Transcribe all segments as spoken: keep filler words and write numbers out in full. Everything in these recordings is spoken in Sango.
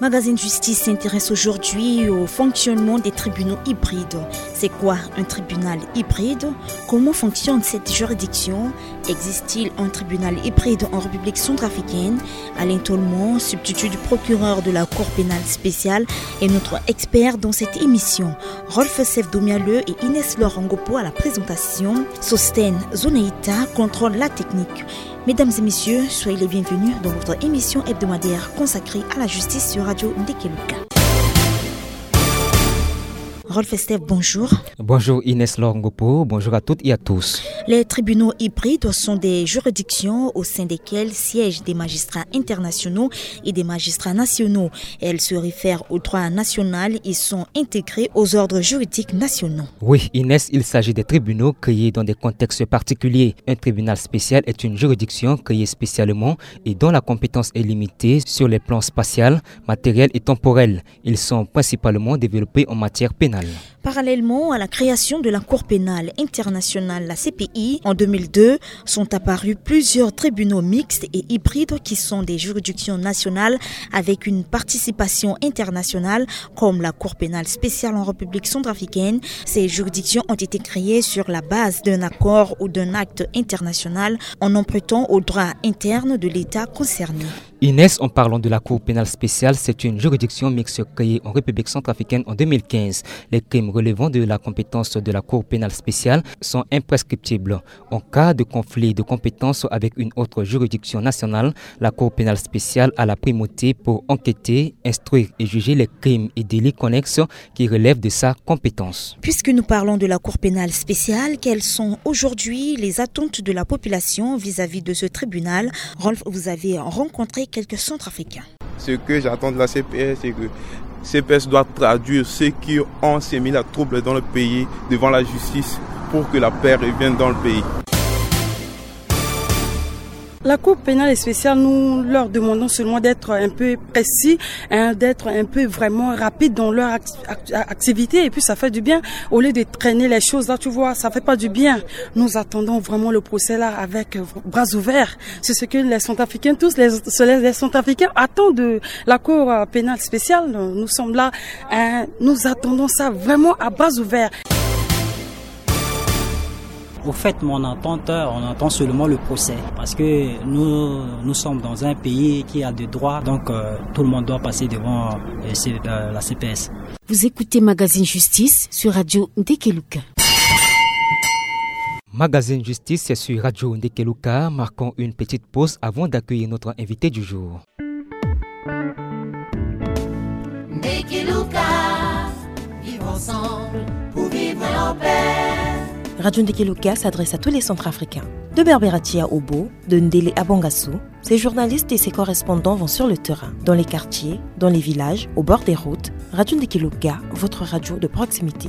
Magazine Justice s'intéresse aujourd'hui au fonctionnement des tribunaux hybrides. C'est quoi un tribunal hybride ? Comment fonctionne cette juridiction ? Existe-t-il un tribunal hybride en République centrafricaine ? Alain Tolmon, substitut du procureur de la Cour pénale spéciale, est notre expert dans cette émission. Rolf Sef Domialeu et Inès Laure Ngopo à la présentation. Sosten Zonaita contrôle la technique. Mesdames et messieurs, soyez les bienvenus dans votre émission hebdomadaire consacrée à la justice sur Radio Ndekeluka. Rolf Estève, bonjour. Bonjour Inès Laure Ngopo, bonjour à toutes et à tous. Les tribunaux hybrides sont des juridictions au sein desquelles siègent des magistrats internationaux et des magistrats nationaux. Elles se réfèrent au droit national et sont intégrées aux ordres juridiques nationaux. Oui, Inès, il s'agit des tribunaux créés dans des contextes particuliers. Un tribunal spécial est une juridiction créée spécialement et dont la compétence est limitée sur les plans spatial, matériel et temporel. Ils sont principalement développés en matière pénale. Parallèlement à la création de la Cour pénale internationale, la C P I, en deux mille deux, sont apparus plusieurs tribunaux mixtes et hybrides qui sont des juridictions nationales avec une participation internationale, comme la Cour pénale spéciale en République centrafricaine. Ces juridictions ont été créées sur la base d'un accord ou d'un acte international en empruntant au droit interne de l'État concerné. Inès, en parlant de la Cour pénale spéciale, c'est une juridiction mixte créée en République centrafricaine en deux mille quinze. Les crimes relevant de la compétence de la Cour pénale spéciale sont imprescriptibles. En cas de conflit de compétence avec une autre juridiction nationale, la Cour pénale spéciale a la primauté pour enquêter, instruire et juger les crimes et délits connexes qui relèvent de sa compétence. Puisque nous parlons de la Cour pénale spéciale, quelles sont aujourd'hui les attentes de la population vis-à-vis de ce tribunal ? Rolf, vous avez rencontré quelques Centrafricains. Ce que j'attends de la C P S, c'est que C P S doit traduire ceux qui ont semé la trouble dans le pays devant la justice pour que la paix revienne dans le pays. La Cour pénale spéciale, nous leur demandons seulement d'être un peu précis, hein, d'être un peu vraiment rapide dans leur act- act- activité, et puis ça fait du bien au lieu de traîner les choses là, tu vois, ça fait pas du bien. Nous attendons vraiment le procès là avec, euh, bras ouverts. C'est ce que les Centrafricains, tous les, les, les Centrafricains attendent de la Cour, euh, pénale spéciale. Nous sommes là, hein, nous attendons ça vraiment à bras ouverts. Au fait, mon attente, on attend seulement le procès. Parce que nous, nous sommes dans un pays qui a des droits, donc, euh, tout le monde doit passer devant, euh, C- euh, la C P S. Vous écoutez Magazine Justice sur Radio Ndekeluka. Magazine Justice, c'est sur Radio Ndekeluka. Marquons une petite pause avant d'accueillir notre invité du jour. Ndekeluka, vivre ensemble pour vivre en paix. Radio Ndekeluka s'adresse à tous les Centrafricains. De Berberatia à Obo, de Ndele à Bangassou, ses journalistes et ses correspondants vont sur le terrain, dans les quartiers, dans les villages, au bord des routes. Radio Ndekeluka, votre radio de proximité.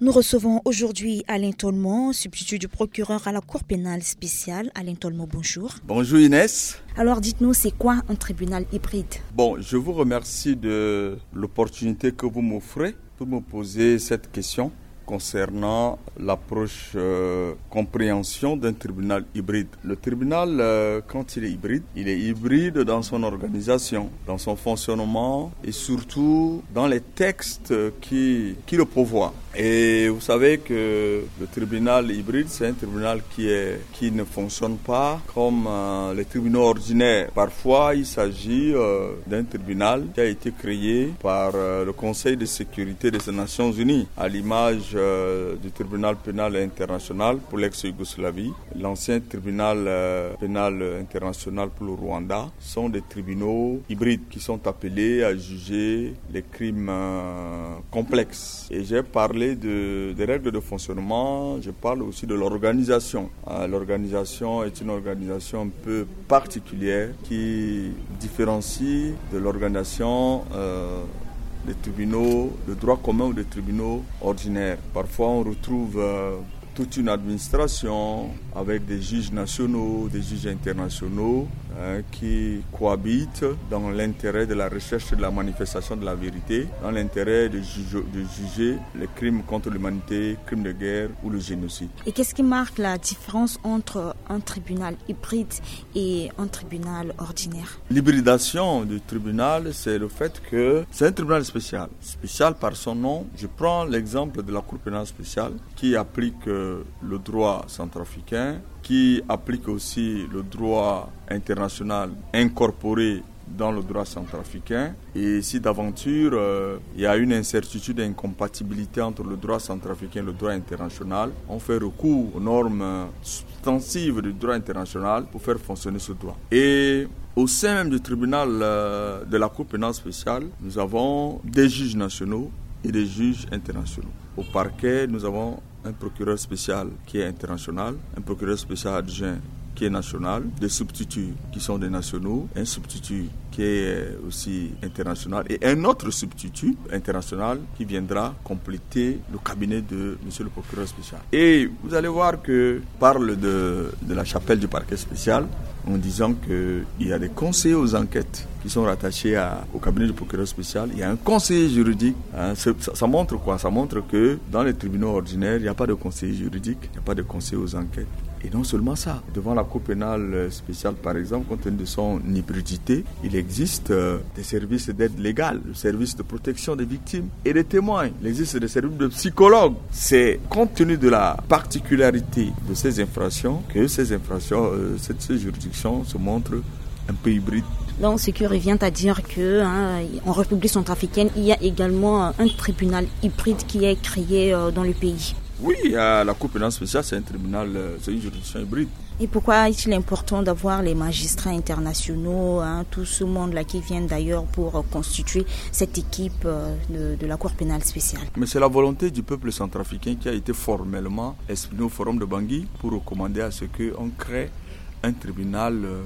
Nous recevons aujourd'hui Alain Tolmon, substitut du procureur à la Cour pénale spéciale. Alain Tolmon, bonjour. Bonjour Inès. Alors dites-nous, c'est quoi un tribunal hybride ? Bon, je vous remercie de l'opportunité que vous m'offrez pour me poser cette question concernant l'approche, euh, compréhension d'un tribunal hybride. Le tribunal, euh, quand il est hybride, il est hybride dans son organisation, dans son fonctionnement et surtout dans les textes qui, qui le pourvoient. Et vous savez que le tribunal hybride, c'est un tribunal qui est, qui ne fonctionne pas comme, euh, les tribunaux ordinaires. Parfois, il s'agit, euh, d'un tribunal qui a été créé par, euh, le Conseil de sécurité des Nations Unies, à l'image, euh, du tribunal pénal international pour l'ex-Yougoslavie, l'ancien tribunal, euh, pénal international pour le Rwanda, sont des tribunaux hybrides qui sont appelés à juger les crimes, euh, complexes. Et j'ai parlé de, des règles de fonctionnement, je parle aussi de l'organisation. Euh, l'organisation est une organisation un peu particulière qui différencie de l'organisation, euh, des tribunaux de droit commun ou des tribunaux ordinaires. Parfois, on retrouve, euh, toute une administration avec des juges nationaux, des juges internationaux, hein, qui cohabitent dans l'intérêt de la recherche de la manifestation de la vérité, dans l'intérêt de juger, de juger les crimes contre l'humanité, crimes de guerre ou le génocide. Et qu'est-ce qui marque la différence entre un tribunal hybride et un tribunal ordinaire ? L'hybridation du tribunal, c'est le fait que c'est un tribunal spécial. Spécial par son nom. Je prends l'exemple de la Cour pénale spéciale qui applique, euh, le droit centrafricain, qui applique aussi le droit international incorporé dans le droit centrafricain. Et si d'aventure, euh, il y a une incertitude et incompatibilité entre le droit centrafricain et le droit international, on fait recours aux normes, euh, substantives du droit international pour faire fonctionner ce droit. Et au sein même du tribunal, euh, de la Cour pénale spéciale, nous avons des juges nationaux et des juges internationaux. Au parquet, nous avons un procureur spécial qui est international, un procureur spécial adjoint qui est national, des substituts qui sont des nationaux, un substitut qui est aussi international et un autre substitut international qui viendra compléter le cabinet de monsieur le procureur spécial. Et vous allez voir que parle de, de la chapelle du parquet spécial en disant qu'il y a des conseillers aux enquêtes qui sont rattachés à, au cabinet du procureur spécial. Il y a un conseiller juridique, hein. Ça, ça montre quoi ? Ça montre que dans les tribunaux ordinaires, il n'y a pas de conseiller juridique, il n'y a pas de conseiller aux enquêtes. Et non seulement ça, devant la Cour pénale spéciale, par exemple, compte tenu de son hybridité, il existe, euh, des services d'aide légale, le service de protection des victimes et des témoins. Il existe des services de psychologues. C'est compte tenu de la particularité de ces infractions que ces infractions, euh, cette, ces juridictions se montrent un peu hybrides. Donc, ce qui revient à dire que, hein, en République centrafricaine, il y a également, euh, un tribunal hybride qui est créé, euh, dans le pays. Oui, il y a la Cour pénale spéciale, c'est un tribunal, euh, c'est une juridiction hybride. Et pourquoi est-il important d'avoir les magistrats internationaux, hein, tout ce monde-là qui vient d'ailleurs pour, euh, constituer cette équipe, euh, de, de la Cour pénale spéciale ? Mais c'est la volonté du peuple centrafricain qui a été formellement exprimée au Forum de Bangui pour recommander à ce qu'on crée un tribunal, euh,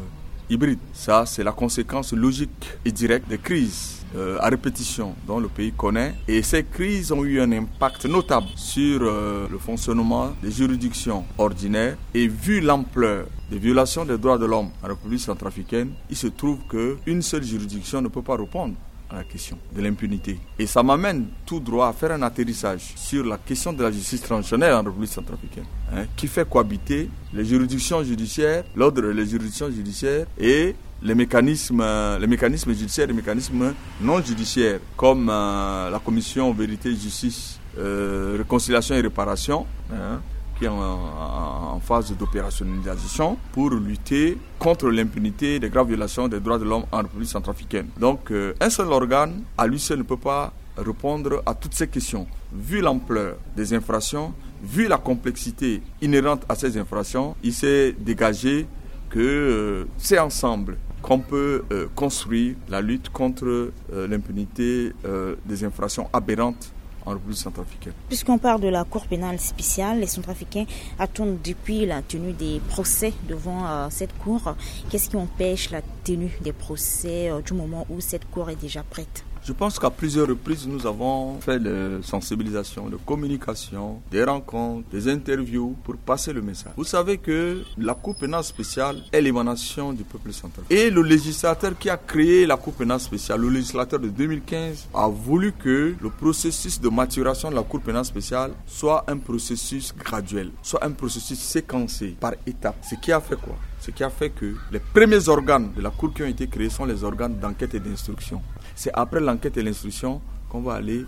hybride. Ça, c'est la conséquence logique et directe des crises, euh, à répétition dont le pays connaît. Et ces crises ont eu un impact notable sur, euh, le fonctionnement des juridictions ordinaires. Et vu l'ampleur des violations des droits de l'homme en République centrafricaine, il se trouve qu'une seule juridiction ne peut pas répondre à la question de l'impunité. Et ça m'amène tout droit à faire un atterrissage sur la question de la justice transitionnelle en République centrafricaine, hein, qui fait cohabiter les juridictions judiciaires, l'ordre des juridictions judiciaires et les mécanismes, euh, les mécanismes judiciaires, les mécanismes non judiciaires, comme, euh, la commission vérité, justice, euh, réconciliation et réparation, hein, qui est en, en, en phase d'opérationnalisation pour lutter contre l'impunité des graves violations des droits de l'homme en République centrafricaine. Donc, euh, un seul organe, à lui seul, ne peut pas répondre à toutes ces questions. Vu l'ampleur des infractions, vu la complexité inhérente à ces infractions, il s'est dégagé que, euh, c'est ensemble qu'on peut, euh, construire la lutte contre, euh, l'impunité, euh, des infractions aberrantes en République centrafricaine. Puisqu'on parle de la Cour pénale spéciale, les Centrafricains attendent depuis la tenue des procès devant, euh, cette cour. Qu'est-ce qui empêche la tenue des procès, euh, du moment où cette cour est déjà prête ? Je pense qu'à plusieurs reprises, nous avons fait de sensibilisation, de communication, des rencontres, des interviews pour passer le message. Vous savez que la Cour pénale spéciale est l'émanation du peuple centrafricain. Et le législateur qui a créé la Cour pénale spéciale, le législateur de deux mille quinze, a voulu que le processus de maturation de la Cour pénale spéciale soit un processus graduel, soit un processus séquencé par étapes. Ce qui a fait quoi ? Ce qui a fait que les premiers organes de la Cour qui ont été créés sont les organes d'enquête et d'instruction. C'est après l'enquête et l'instruction qu'on va aller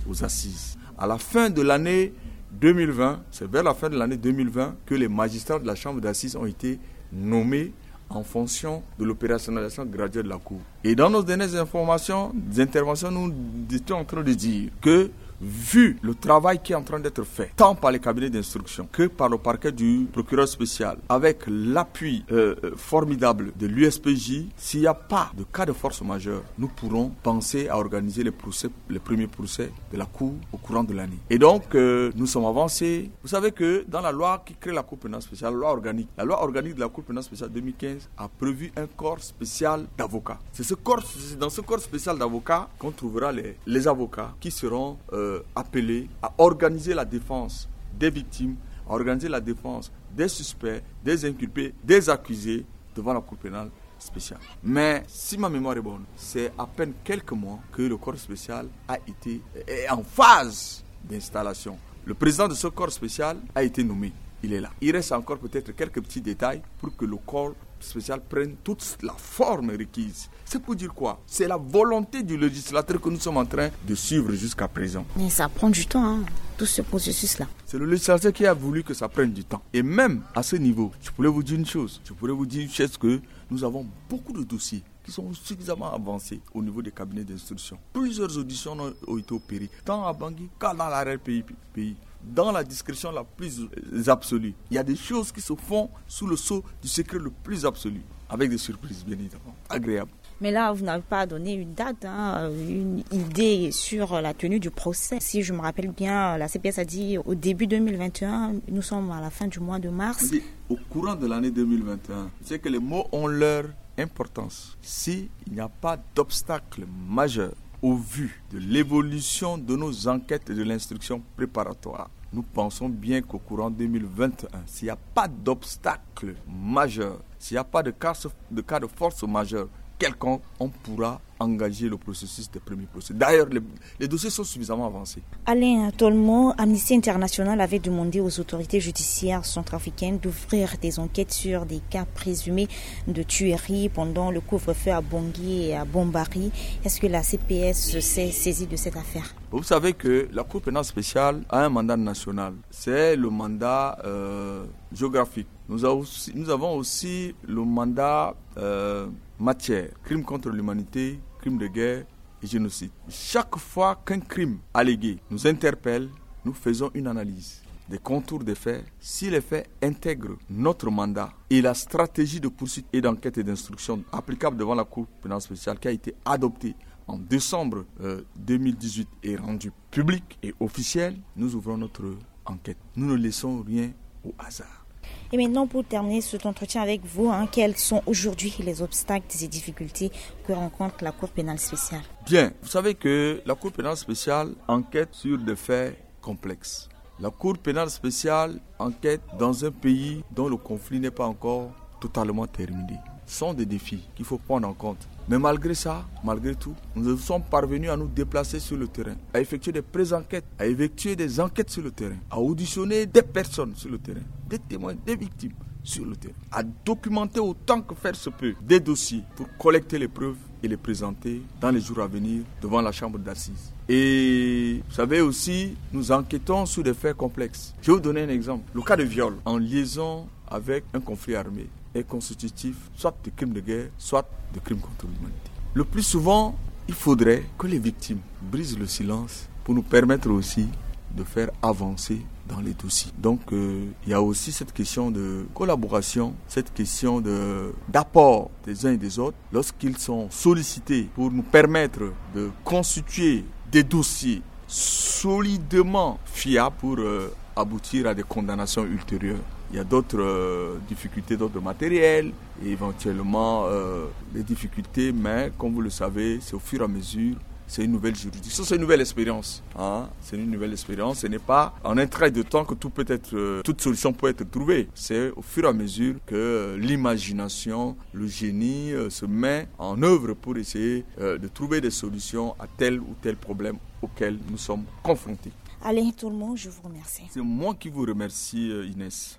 aux assises. À la fin de l'année deux mille vingt, c'est vers la fin de l'année deux mille vingt que les magistrats de la chambre d'assises ont été nommés en fonction de l'opérationnalisation graduelle de la Cour. Et dans nos dernières informations, des interventions, nous étions en train de dire que, vu le travail qui est en train d'être fait, tant par les cabinets d'instruction que par le parquet du procureur spécial, avec l'appui, euh, euh, formidable de l'U S P J, s'il n'y a pas de cas de force majeure, nous pourrons penser à organiser les procès, les premiers procès de la Cour au courant de l'année. Et donc, euh, nous sommes avancés. Vous savez que dans la loi qui crée la Cour pénale spéciale, la loi organique, la loi organique de la Cour pénale spéciale deux mille quinze a prévu un corps spécial d'avocats. C'est ce corps, c'est dans ce corps spécial d'avocats qu'on trouvera les, les avocats qui seront, euh, appelés à organiser la défense des victimes, à organiser la défense des suspects, des inculpés, des accusés devant la Cour pénale spécial. Mais si ma mémoire est bonne, c'est à peine quelques mois que le corps spécial a été, est en phase d'installation. Le président de ce corps spécial a été nommé. Il est là. Il reste encore peut-être quelques petits détails pour que le corps spécial prenne toute la forme requise. C'est pour dire quoi ? C'est la volonté du législateur que nous sommes en train de suivre jusqu'à présent. Mais ça prend du temps, hein, tout ce processus-là. C'est le législateur qui a voulu que ça prenne du temps. Et même à ce niveau, je pourrais vous dire une chose. Je pourrais vous dire une chose, que nous avons beaucoup de dossiers qui sont suffisamment avancés au niveau des cabinets d'instruction. Plusieurs auditions ont, ont été opérées, tant à Bangui qu'à dans l'arrière-pays, pays, dans la discrétion la plus absolue. Il y a des choses qui se font sous le sceau du secret le plus absolu, avec des surprises, bien évidemment, agréables. Mais là, vous n'avez pas donné une date, hein, une idée sur la tenue du procès. Si je me rappelle bien, la C P S a dit au début deux mille vingt et un, nous sommes à la fin du mois de mars. On dit au courant de l'année deux mille vingt et un. C'est que les mots ont leur importance. S'il n'y a pas d'obstacle majeur au vu de l'évolution de nos enquêtes et de l'instruction préparatoire, nous pensons bien qu'au courant deux mille vingt et un, s'il n'y a pas d'obstacle majeur, s'il n'y a pas de cas, de cas de force majeur quelconque, on pourra engager le processus des premiers procès. D'ailleurs, les, les dossiers sont suffisamment avancés. Alain Tolmon, Amnesty International avait demandé aux autorités judiciaires centrafricaines d'ouvrir des enquêtes sur des cas présumés de tueries pendant le couvre-feu à Bangui et à Bambari. Est-ce que la C P S s'est saisie de cette affaire ? Vous savez que la Cour pénale spéciale a un mandat national. C'est le mandat, euh, géographique. Nous avons aussi, nous avons aussi le mandat, euh, matière, crime contre l'humanité, crime de guerre et génocide. Chaque fois qu'un crime allégué nous interpelle, nous faisons une analyse des contours des faits. Si les faits intègrent notre mandat et la stratégie de poursuite et d'enquête et d'instruction applicable devant la Cour pénale spéciale, qui a été adoptée en décembre, euh, deux mille dix-huit et rendue publique et officielle, nous ouvrons notre enquête. Nous ne laissons rien au hasard. Et maintenant, pour terminer cet entretien avec vous, hein, quels sont aujourd'hui les obstacles et difficultés que rencontre la Cour pénale spéciale ? Bien, vous savez que la Cour pénale spéciale enquête sur des faits complexes. La Cour pénale spéciale enquête dans un pays dont le conflit n'est pas encore totalement terminé. Ce sont des défis qu'il faut prendre en compte. Mais malgré ça, malgré tout, nous sommes parvenus à nous déplacer sur le terrain, à effectuer des pré-enquêtes, à effectuer des enquêtes sur le terrain, à auditionner des personnes sur le terrain, des témoins, des victimes sur le terrain, à documenter autant que faire se peut des dossiers pour collecter les preuves et les présenter dans les jours à venir devant la chambre d'assises. Et vous savez aussi, nous enquêtons sur des faits complexes. Je vais vous donner un exemple. Le cas de viol en liaison avec un conflit armé est constitutif soit de crimes de guerre, soit de crimes contre l'humanité. Le plus souvent, il faudrait que les victimes brisent le silence pour nous permettre aussi de faire avancer dans les dossiers. Donc, euh, il y a aussi cette question de collaboration, cette question de, d'apport des uns et des autres lorsqu'ils sont sollicités pour nous permettre de constituer des dossiers solidement fiables pour, euh, aboutir à des condamnations ultérieures. Il y a d'autres, euh, difficultés d'ordre matériel et éventuellement, euh, des difficultés, mais comme vous le savez, c'est au fur et à mesure, c'est une nouvelle juridiction, c'est une nouvelle expérience, hein. C'est une nouvelle expérience. Ce n'est pas en un trait de temps que tout peut être, euh, toute solution peut être trouvée. C'est au fur et à mesure que, euh, l'imagination, le génie, euh, se met en œuvre pour essayer, euh, de trouver des solutions à tel ou tel problème auquel nous sommes confrontés. Alain Tolmon, je vous remercie. C'est moi qui vous remercie, euh, Inès.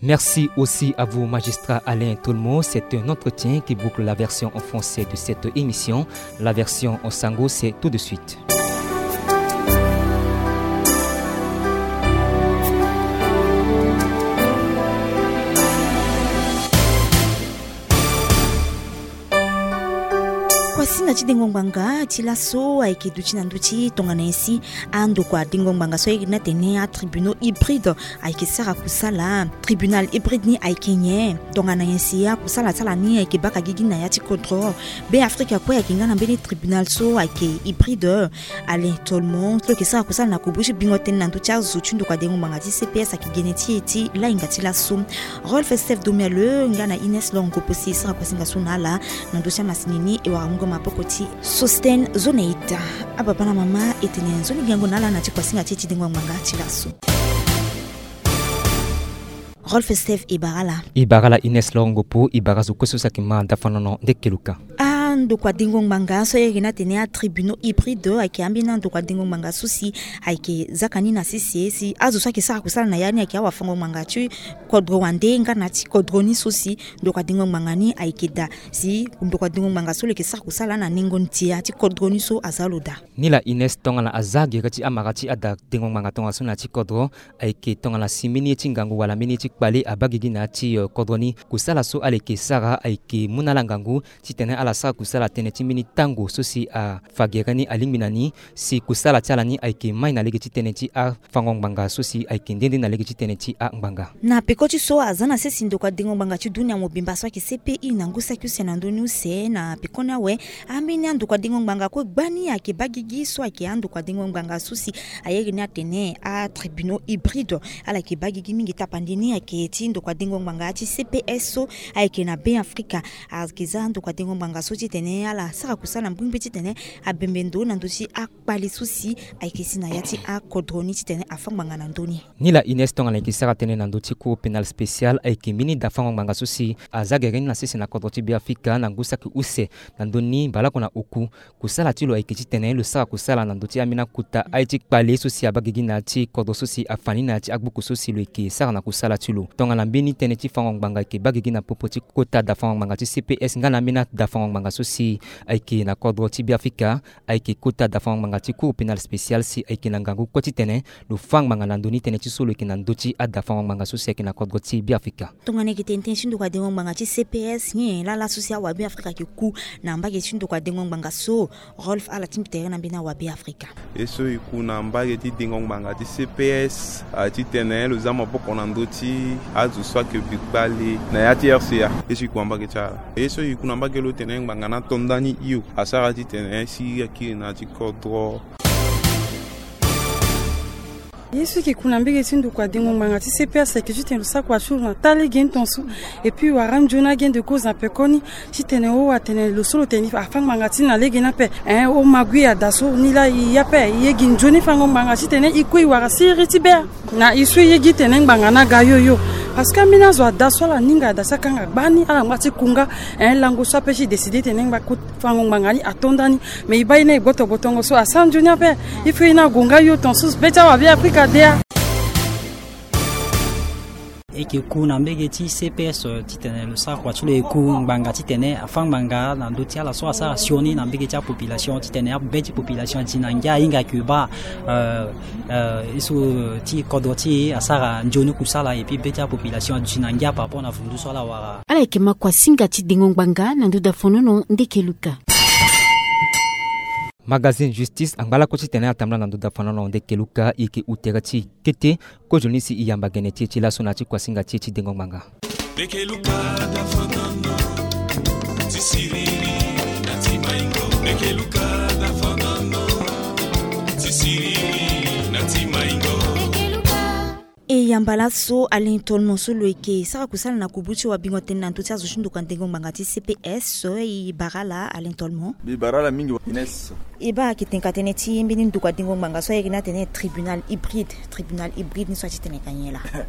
Merci aussi à vous, magistrat Alain Tolmon. C'est un entretien qui boucle la version en français de cette émission. La version en sango, c'est tout de suite. Kuasinga ti dengo ngbanga ti laso ayeke duti na ndö ti tongana nyen si andokua dengo ngbanga so ayeke na tene atribunaux hybrides ayeke sara kusala. Tribunal hybride ni ayeke nyen? Tongana nyen si akusala ti ala ni ayeke baka gigi na ya ti kodro? Beafrika kue ayeke nga na mbeni tribunal so ayeke hybride. Alain Tolmon so lo yeke sara kusala na kobo ti bingo tënë na ndö ti azo ti ndokua dengo ngbanga ti C P S ayeke gene ti e ti lahinga ti laso. Rolf Steph Domialeu nga na Ines Longo Posi e sara kuasinga so na ala na ndö ti amasini ni e wara mungo maboko ti Sosten Zoneita. Ababa na mama, e tene nzoni gango na ala na ti kuasinga ti e ti dengo ngbanga ti laso. Rolf Steph Ibarala. Ibarala Ines Lorongopo, Ibara zo kue so si ayeke ma dafanono nde keluka. Andokua dengo ngbanga so ayeke ni atene atribunaux hybrides ayeke ambeni andokua dengo ngbanga so si ayeke zaka ni na sese si azo so ayeke sara kusala na ya ni ayeke awafango ngbanga ti kodro wande nga na ti kodro ni so si ndokua dengo ngbanga ni ayeke daa si ndokua dengo ngbanga so lo yeke sara kusala na nengo ndia ti kodro ni so aza lo daa. Nilaa Ines, tongana aza gere ti amara ti ada dengo ngbanga tongaso na ya ti kodro, ayeke tongana si mbeni ye ti ngangu wala mbeni ye ti kpale abaa gigi na ya ti, eh, kodro ni. Kusala so ala yeke sara ayeke mu na ala ngangu titene ala sara kusala tënë ti mbeni tango so si afa gere ni alingbi na ni si kusala ti ala ni ayeke mai na lege ti tënë ti afango ngbanga so si ayeke nde nde na lege ti tënë ti angbanga. Na peko ti so aza na sese ndokua dengo ngbanga ti dunia mobimba so ayeke C P I na ngu saki use na ndö ni use na pekoni awe, ambeni andokua dengo ngbanga kue gbani ayeke baa gigi so ayeke andokua dengo ngbanga so si aye iri ni atene atribunaux hybrides. Ala yeke baa gigi mingi tapande ni ayeke ti ndokua dengo ngbanga ti C P S so ayeke na Be Afrika. Ayeke za ndokua dengo ngbanga so titene ala sara kusala na mbrimbri titene abembe ndo na ndö ti akpale so si ayeke si na ya ti akodro ni titene afâ ngbanga na ndö ni. Nilaa Ines, tongana ayeke sara tënë na ndö ti Cour pénale spéciale, ayeke mbeni dafango ngbanga so si aza gere ni na sese na kodro ti Be Afrika na ngu saki use na ndö ni mbalako na oku. Kusala ti lo ayeke titene lo sara kusala na ndö ti ambeni akota aye ti kpale so si abaa gigi na ya ti kodro so si afa ni na ya ti agbuku so si lo yeke sara na kusala ti lo. Tongana mbeni tënë ti fango ngbanga ayeke baa gigi na popo ti kota dafango ngbanga ti C P S nga na ambeni adafango ngbanga so si ayeke na kodro ti Be Afrika, ayeke kota dafango ngbanga ti Cour pénale spéciale si ayeke na ngangu kue titene lo fâ ngbanga na ndö ni tënë ti so lo yeke na ndö ti adafango ngbanga so si ayeke na kodro ti Be Afrika. Tongana e yeke tene tënë ti ndokua dengo ngbanga ti C P S, nyen laa laso si awabe Afrika ayeke ku na mbage ti ndokua dengo ngbanga so? Rolf, ala ti mbi tere na mbeni awabe Afrika. Ye so e ku na mbage ti dengo ngbanga ti C P S, a, titene lo za maboko na ndö ti azo so ayeke bi kpale na ya ti R C A. Ye so e ku na mbage ti ala. Ye so e ku na mbage lo tene ngbanga ni ato ndani hio, asara titene si akiri na ya ti kodro. Ye so e yeke ku na mbage ti ndokua dengo ngbanga ti C P S ayeke titene lo sara kua ti lo na taa lege ni tongaso. Et puis wara nzoni agende kozo na pekoni titene o atene lo so lo tene afâ ngbanga ti na lege ni ape. Ein, o ma gui ada so ni laa e ye ape, e ye gi nzoni fango ngbanga titene e kue e wara siriri ti be. Na e so e ye gi tene ngbanga ni aga hio hio. Parce que ambeni azo ada so ala ninga ada so akanga gbani ala ngba ti kunga. Ein, lango so ape ti décider tene ngba ko fango ngbanga ni ato ndani. Mais e baa ye ni e gboto gbotongo so asara nzoni ape. Il faut ye ni ague nga hio tongaso be ti awabe Afrika de a. E yeke ku na mbage ti C P S, eh, titene lo sara kua ti lo e ku ngbanga titene afâ ngbanga na ndö ti ala so asara sioni na mbage ti apopulation titene abe ti population adi na ngia ahinga ke baa, eh, eh, ye so ti kodro ti e asara nzoni kusala, et puis be ti apopulation aduti na ngia par rapport na vundu so ala wara. Ala yeke ma kuasinga ti dengo ngbanga na ndö dafonono nde keluka. Magazine Justice angba lakue titene atambula na ndö dafonono nde keluka, e yeke u tere ti kete. Kozoni si e yamba gene ti e ti laso na ya ti kuasinga ti e ti dengo ngbanga. Nde keluka dafonono ti siriri na ti maingo. Nde keluka dafonono ti siriri na ti maingo. E yamba laso Alain Tolmon so lo yeke sara kusala na kubu ti wabingo tënë na ndö ti azo ti ndokua dengo ngbanga ti C P S. E bara ala Alain Tolmon. Mbi bara ala mingi Ines. E baa ayeke tenka tënë ti mbeni ndokua dengo ngbanga so ayeke ni atene tribunal hybride. Tribunal hybride ni so ati tene ka nyen laa?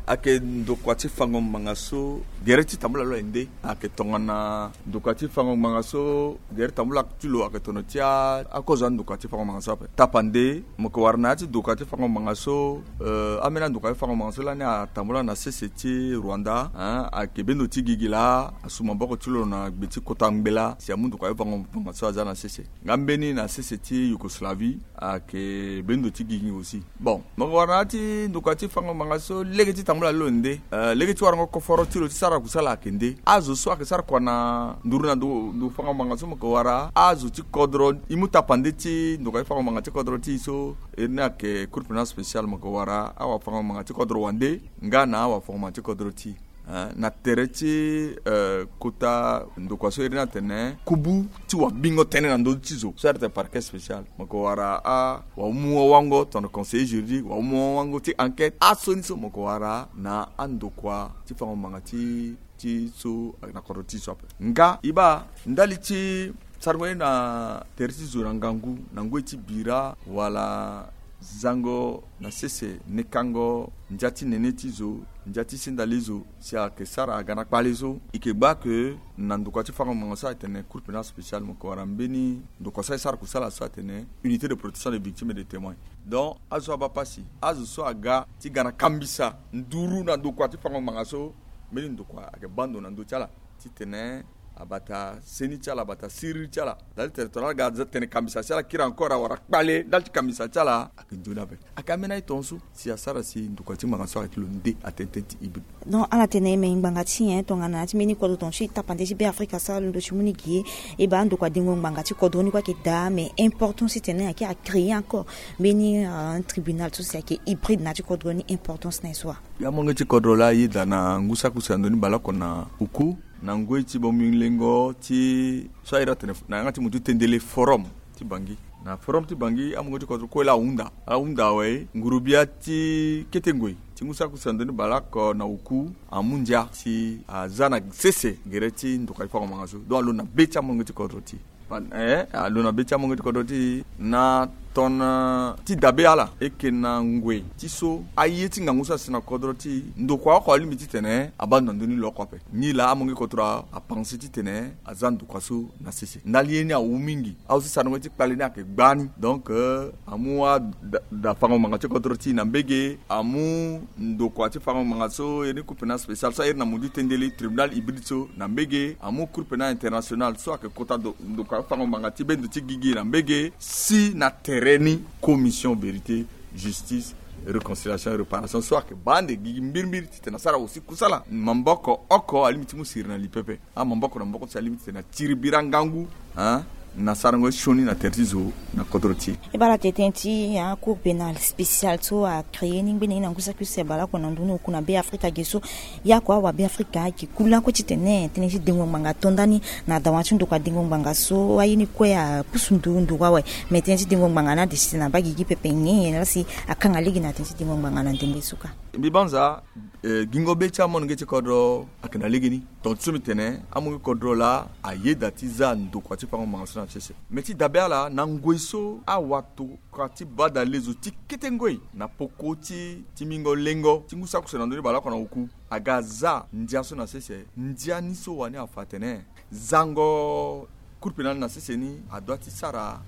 Ayeke ndokua ti fango ngbanga so gere ti tambula lo aye nde. Ayeke tongana ndokua ti fango ngbanga so gere tambula ti lo ayeke tongana ti a, akozo andokua ti fango ngbanga so ape. Tapande, mo yeke wara na ya ti ndokua ti fango ngbanga so, eh, ambeni andokua ti fango ngbanga so lani atambula na sese ti Rwanda, hein, ayeke bendo ti gigi laa, asu maboko ti lo na gbe ti kota ngbela, si amu ndokua ti fango ngbanga so aza na sese. Nga mbeni na sese ti Yougoslavie, ayeke bendo ti gigi aussi. Bon, mo yeke wara na ya ti ndokua ti fango ngbanga so lege ti tambula lo nde, eh, lege ti warango koforo ti lo ti sara kusala ayeke nde. Azo so ayeke sara kua na nduru na ndo, ndo fango ngbanga so mo yeke wara azo ti kodro, e mu tapande ti ndokua ti fango ngbanga ti kodro ti e so, iri ni ayeke Cour pénale spéciale, mo yeke wara awafango ngbanga ti kodro wande, nga na awafango ngbanga ti kodro ti e. Eh, na tere ti, eh, kota ndokua so iri ni atene kubu ti wabingo tënë na ndö ti zo so ayeke parquet spécial. Mo yeke wara awamu wawango tongana conseiller juridique, wamu wawango ti enquête, asioni so mo yeke wara na andokua ti fango ngbanga ti, ti so ayeke na kodro ti e so ape. Nga e baa ndali ti sarango ye na tere ti zo na ngangu, na ngoi ti bira wala Zango na sese, nekango ndia ti nene ti zo, ndia ti sendale zo, si ayeke sara aga na kpale so. E yeke gbaa ke na ndokua ti fango ngbanga so atene cour pénale spéciale, mo yeke wara mbeni ndokua so asara kusala so atene unité de protection des victimes et des témoins. Donc azo so abaa pasi, azo so aga ti ga na kambisa nduru na ndokua ti fango ngbanga so, mbeni ndokua ayeke baa ndo na ndö ti ala titene abata seni ti ala, abata siriri ti ala. Ndali tene tongana ala ga tene kambisa ti ala kiri encore awara kpale ndali ti kambisa ti ala, ayeke nzoni ape. Ayeke ambeni aye tongaso si asara si ndokua ti ngbanga so ayeke ti lo nde atene tënë ti hybride. Donc ala tene e me ngbanga ti nyen tongana ti mbeni kodro tongaso e tapande ti Beafrika so alondo ti mu ni gi ye. E baa ndokua dengo ngbanga ti kodro ni kue ayeke daa, mais importance titene ayeke a créer encore mbeni, euh, un tribunal so si ayeke hybride na ya ti kodro ni, importance na ye so wa? Ya molenge ti kodro laa ayeda na ngu saki use na ndö ni baleoko na oku, na ngoi ti bomilengo ti so airi atene na yanga ti mo ti tendele forum ti Bangui. Na forum ti Bangui amolenge ti kodro kue laa ahunda, ahunda awe ngurugbia ti kete ngoi ti ngu saki use na ndö ni baleoko na oku amu ndia si aza na sese gere ti ndokua ti fango ngbanga so. Donc alondo na be ti amolenge ti kodro ti e, eh, alondo na be ti amolenge ti kodro ti e na tongana ti dabe ala, e yeke na ngoi ti so aye ti ngangu so asi na kodro ti e, ndokua oko alingbi titene abaa ndo na ndö ni lo oko ape. Nilaa amolenge ti kodro apense titene aza ndokua so na sese. Ndali ye ni awu mingi. Azo so sara ngoi ti kpale ni ayeke gbani. Donc, euh, amu ada, da fango ngbanga ti kodro ti e na mbege, amu ndokua ti fango ngbanga so iri ni cour pénale spéciale so airi na mo ti tendele tribunal hybride so na mbege, amu cour pénale internationale so ayeke kota ndo, ndokua ti fango ngbanga ti be ndo ti gigi na mbege, si na tere ni commission vérité, justice, réconciliation et réparation so ayeke baa ande gigi mbirimbiri titene asara aussi kusala. Maboko oko alingbi ti mu siri na li pepe. Amaboko na maboko ti alingbi titene atiri bira ngangu, hein, na sarango ti sioni na tere ti zo na kodro ti e. E baa ala tene tënë ti, hein, cour pénale spéciale so a créer ni ngbene ni na ngu saki use baleoko na ndö ni oku na Beafrika ge so. Ya kua awabeafrika ayeke ku lakue titene tënë ti dengo ngbanga ato nda ni na dawa ti ndokua dengo ngbanga so aye ni kue apusu nduru nduru awe. Me tënë ti dengo ngbanga ni ade titene abaa gigi pepe nyen nyen laa si akanga lege na tënë ti dengo ngbanga na ndembe so kâ? Mbi banza, eh, gingo be ti amolenge ti kodro ayeke na legeni. Tonga ti so mbi tene amolenge ti kodro laa ayeda ti za ndokua ti fango ngbanga so na sese. Me ti dabe ala na ngoi so awatokua ti badale zo ti kete ngoi na poko ti, ti mingo lengo ti ngu saki use na ndö ni baleoko na oku aga aza ndia so na sese. Ndia ni so wani afa atene zango cour pénale na sese ni adoit ti sara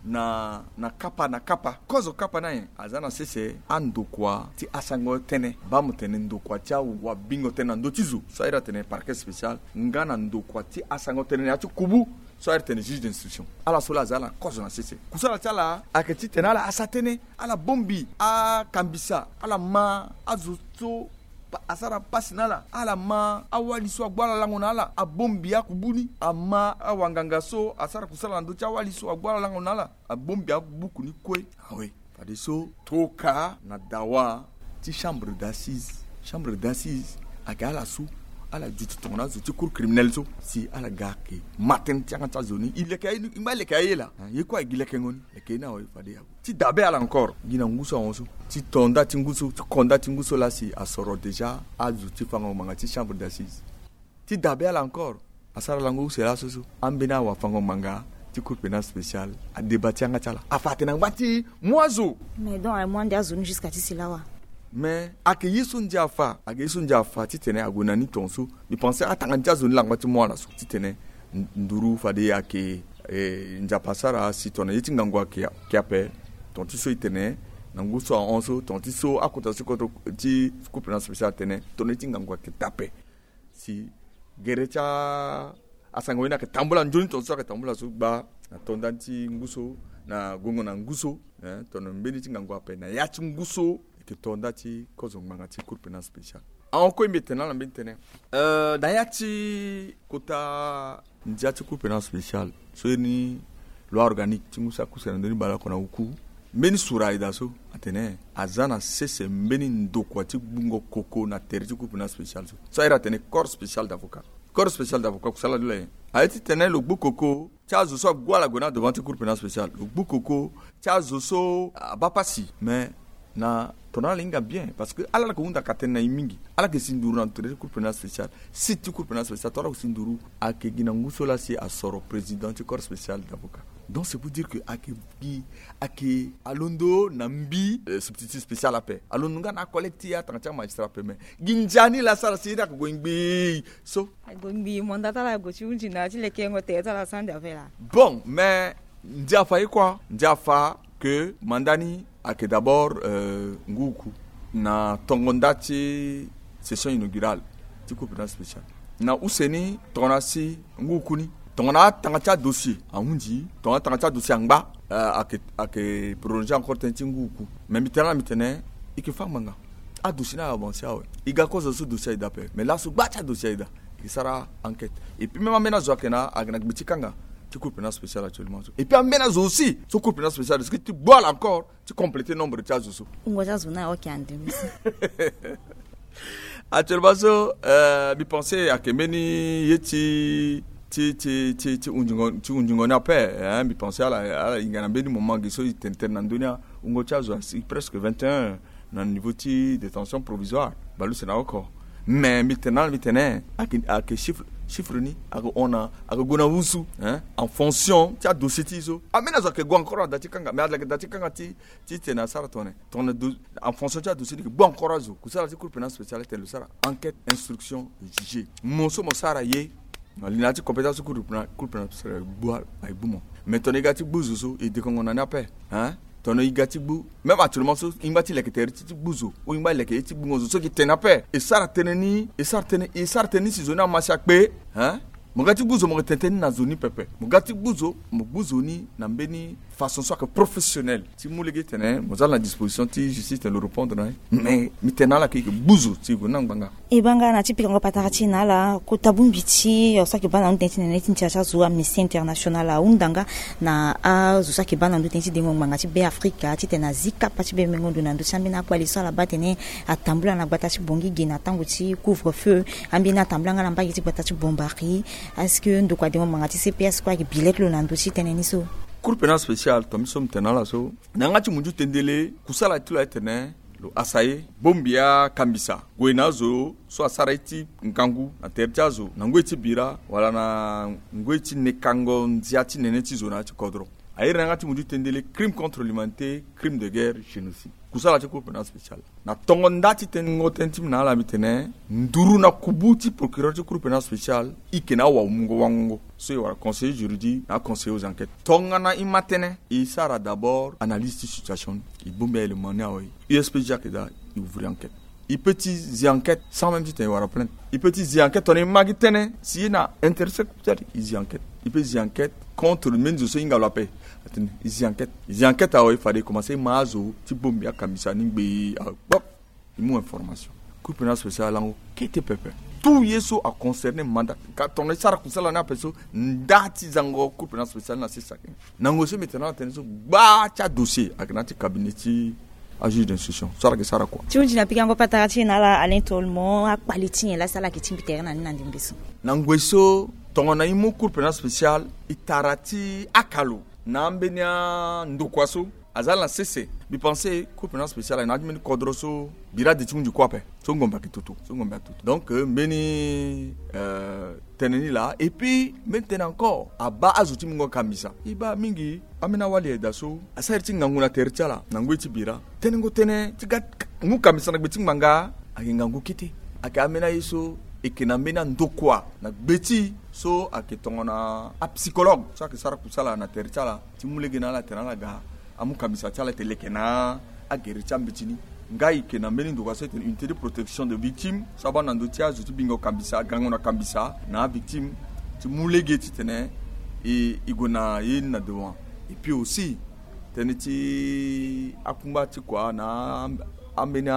na, na kapa na kapa. Kozo kapa ni ayen aza na sese andokua ti asango tënë. Baa mo tene ndokua ti awabingo tënë na ndö ti zo so airi atene parquet spécial, nga na ndokua ti asango tënë na ya ti kubu so airi tene juge d'instruction. Ala so laa aza ala kozo na sese. Kusala ti ala ayeke titene ala asa tënë, ala bongbi akambisa, ala ma azo so pa, asara pasi na ala, ala ma awali so agbu ala lango na ala, abongbi akubu ni, ama awanganga so asara kusala na ndö ti awali so agbu ala lango na ala, abongbi abuku ni kue. Awe, fadeso tokua na dawa ti chambre d'assises. Chambre d'assises ayeke ala so ala duti tongana azo ti cour criminelle so si ala ga ayeke ma tënë ti yanga ti azo ni. E leke aye ni, e ngba leke aye laa. Hein, ye kue ayeke gi lekengo ni. Leke ye ni awe fade ague. Ti dabe ala encore gi na ngu so ahon so, ti to nda ti ngu so, ti ko nda ti ngu so laa si asoro déjà azo ti fango ngbanga ti chambre d'assises. Ti dabe ala encore, asara lango use laso so ambeni awafango ngbanga ti cour pénale spéciale adeba ti yanga ti ala. Afa atene angba ti mu azo. Mais donc amu ande azo ni jusqu'à ti si lawa. Mais ayeke ye so ndia afa, ayeke ye so ndia afa titene ague na ni tongaso. Mbi pense atanga ni ti azo ni langba ti mu ala so titene n-, nduru fade ayeke, eh, nzapa asara si tongana ye ti ngangu ayeke, ayeke ape. Tonga ti so e tene na ngu so ahon so, tonga ti so akota so ti cour pénale spéciale atene tongana ye ti ngangu ayeke daa ape. Si gere ti a, asango ye ni ayeke tambula nzoni tonga so ayeke tambula so gba na to nda ti ngu so, na gongo na ngu so, eh, tongana mbeni ti ngangu ape na ya ti ngu so. E yeke to nda ti kozo ngbanga ti cour pénale spéciale. Ahon kue mbi yeke tene na ala mbeni tënë, eh, na ya ti kota ndia ti cour pénale spéciale so iri ni loi organique ti ngu saki use na ndö ni baleoko na oku. Mbeni sura aye daa so atene aza na sese mbeni ndokua ti gbungo koko na tere ti cour pénale spéciale so. So airi atene corps spécial d'avocat. Corps spécial d'avocat kusala ti lo aye, aye titene lo gbu koko ti azo so agu ala gue na devant ti cour pénale spéciale. Lo gbu koko ti azo so abaa pasi. Mais na tongana ala hinga bien, parce que ala, ala yeke hunda ka tënë na e mingi. Ala yeke si nduru na tere ti cour pénale spéciale. Site ti cour pénale spéciale tongana ala yeke si nduru, ayeke gi na ngu so laa si asoro président ti corps spécial d'avocat. Donc c'est pour dire que ake gi ake alondo na mbi, euh, substitut spécial ape, alondo nga na acollecte ti atanga ti amagistrat ape. Mais gi ndia ni la asara si ye ni ake gue ngbii so. Ague ngbii, mandat ti ala ague ti hunzi na ti lekengo tere ti ala asara ndia ape la. Bon, mais ndia afa ye kua, ndia afa que mandat ni ake d'abord, euh, ngu uku na tongo nda ti session inaugurale ti Cour pénale spéciale. Na use ni tongana si ngu uku ni, tongana atanga ti adossier ahunzi, tongana atanga ti adossier angba, euh, ake, ake prolonger encore tënë ti ngu uku. Mais mbi tene na mbi tene, e ke fâ ngbanga. Adossier ni avancer awe. E ga kozo so dossier aye daa ape. Mais laso gba ti adossier aye daa, e ke sara enquête. Et puis même ambeni azo ake na, ake na gbe ti kanga ti Cour pénale spéciale actuellement so. Et puis ambeni azo aussi so Cour pénale spéciale risque ti gbu ala encore ti compléter nombre ti azo so. Wungo ti azo ni aye oke ande mbi si. Actuellement so, euh, mbi pense ake mbeni ye ti, ti, ti, ti, ti hundingo, ti hundingo ni ape, hein, mbi pense ala, ala hinga na mbeni moment ge so e tene tënë na ndö ni, wungo ti azo asi presque vingt et un na niveau ti détention provisoire. Baleuse na oko. Mais mbi tene na ala, mbi tene, ake, ake chiffre, chiffre ni ake hon na, ake gue na wusu, hein, en fonction ti adossier ti e so. Ambeni azo ake gue encore na da ti kanga, mais ala yeke da ti kanga ti, ti tene asara tongana, tongana do, en fonction ti adossier ni, e ke gbu encore azo. Kusala ti Cour pénale spéciale atene lo sara enquête, instruction, juger. Mo so mo sara ye na li na ya ti compétence ti Cour pénale, Cour pénale spéciale aye gbu, aye gbu mo. Mais tongana e ga ti gbu zo so, e dekongo na ni ape, hein? Tongana e ga ti gbu, même actuellement so, e ngba ti leke tere ti, ti gbu zo, ou e ngba leke ye ti gbungo zo so e ke tene ape. E sara tënë ni, e sara tënë, e sara tënë ni si zo ni amasi akpe, hein? Mo ga ti gbu zo, mo ke tene tënë ni na zo ni pepe. Mo ga ti gbu zo, mo gbu zo ni na mbeni façon so ake professionnel. Ti mu lege ti tene mo za na disposition ti justice ti tene lo répondre na e. Mais mbi tene na ala ke e ke gbu zo si e gue na ngbanga. E baa nga na ti pikango patara ti e na ala, kota bongbi ti, euh, so ake baa na ndo tënë ti nene ti ndia ti azo, Amnesty International ahunda nga na azo so ake baa na ndo tënë ti dengo ngbanga ti Beafrika, ti tene azi kapa ti bembengo ndo na ndö ti ambeni akpali so ala baa tene atambula na gbata ti Bangui ge na tango ti couvre-feu. Ambeni atambula nga na mbage ti gbata ti Bombari. Est-ce que ndokua dengo ngbanga ti C P S kue ake bi lege lo na ndö ti tënë ni so? Cour pénale spéciale, tonga so mbi tene na ala so, na yanga ti munzu tendele, kusala ti lo aye tene lo hasa ye, bongbi akambisa, gue na azo so asara ye ti ngangu na tere ti azo, na ngoi ti bira wala na ngoi ti nekango ndia ti nene ti zo na ya ti kodro. A iri na yanga ti munzu tendele crime contre l'humanité, crime de guerre, génocide. Kusala ti Cour pénale spéciale. Na tongo nda ti tengo tënë ti mbi na ala, mbi tene nduru na kubu ti procureur ti Cour pénale spéciale, e yeke na awamungo wangongo so e wara conseiller juridique na aconseiller aux enquêtes. Tongana e ma tënë, e sara d'abord analyse ti situation, e bongbi a-élément ni awe. U S P G ake daa, e ouvrir enquête. E peut ti zi enquête sans même ti tene e wara plainte. E peut ti zi enquête tongana e ma gi tënë si e na intéressé, peut-être e zi enquête. E peut zi enquête contre mbeni zo so e hinga lo ape. Atene e zi enquête. E zi enquête awe, fade e commencé e ma azo ti bongbi akambisa ni ngbii awe. Bop. E mu information. Cour pénale spéciale alango kete pepe. Tout ye so aconcerné mandat, ka tongana e sara kusala ni ape so, nda ti zango Cour pénale spéciale na sese ake. Na ngoi so mbi tene na ala tënë so, gba ti adossier ake na ya ti cabinet ti ajuge d'instruction so ala yeke sara kua. Ti hunzi na pikango patara ti e na ala, Alain Tolmon, akpali ti nyen laa si ala yeke tingbi tere na ni na ndembe so? Na ngoi so tongana e mu Cour pénale spéciale, e tara ti akalo na ambeni andokua so aza na sese. Mbi pensé Cour pénale spéciale na ya ti mbeni kodro so bira de ti hunzi kue ape. So ngombe ayeke toto, so ngombe ayeke toto. Donc, euh, mbeni, euh, tënë ni laa. Et puis mbeni tënë encore, abaa azo ti mungo kambisa. E baa mingi ambeni awali ayeda so asara iri ti ngangu na tere ti ala na ngoi ti bira. Tenengo tënë ti ga mu kambisa na gbe ti ngbanga ayeke ngangu kete. Ayeke ambeni aye so e yeke na mbeni andokua na gbe ti e so ayeke tongana apsychologue so ayeke sara kusala na tere ti ala, ti mu lege na ala tene ala ga amu kambisa ti ala ete leke na agere ti ambeti ni. Nga e yeke na mbeni ndokua so e tene unité de protection de victime so abaa na ndö ti azo ti bingo kambisa, gango na kambisa na avictime, ti mu lege titene e, e gue na ye ni na devant. Et puis aussi tënë ti akungba ti kua na ambeni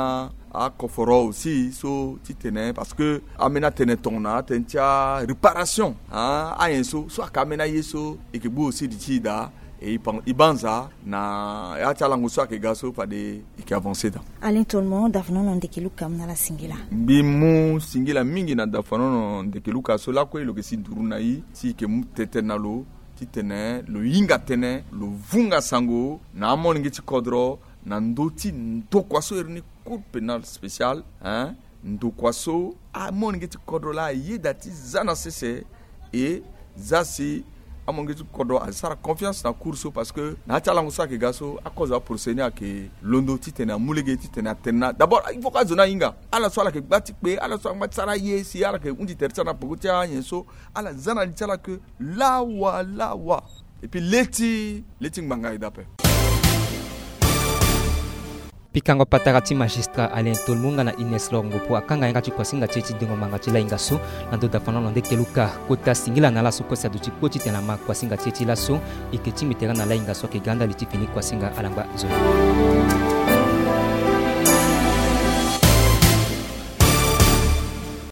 akoforo aussi so titene, parce que ambeni atene tongana atënë ti aréparation, hein, anyen so, so ayeke ambeni aye so e yeke gbu aussi di ti e daa. E, e banza na ya ti alango so ayeke ga so fade e yeke avancer daa. Alain Tolmon, dafanono ndeke Luka, mu na ala singila. Mbi mu singila mingi na dafanono ndeke Luka so lakue lo yeke si nduru na e si e yeke mu tete na lo titene lo hinga tënë, lo vunga sango na amolenge ti kodro na ndö ti ndokua so iri ni Cour pénale spéciale, hein, ndokua so amolenge ti kodro laa ayeda ti za na sese e za si Amonge ti kodro asara confiance na cour so, parce que na ya ti alango so ayeke ga so, akozo aprocès ni ayeke londo titene amu lege titene atene na d'abord il faut que azo ni ahinga. Ala so ala yeke gba ti kpe, ala so angba ti sara aye si ala yeke hundi tere ti ala na peko ti anyen so, ala za na li ti ala ke lawa lawa. Et puis le ti le ti ngbanga e daa ape. Pikango patara ti magistrat Alain Tolmu nga na Ines Lor Ngopo akanga yanga ti kuasinga ti e ti dengo manga ti lahinga so na ndo dafa na lo nde keluka kota singila na ala so kue si aduti kpo titene ama kuasinga ti e ti laso. E yeke tingbi tere na lahinga so ayeke ga ndali ti fini kuasinga ala ngba nzoni.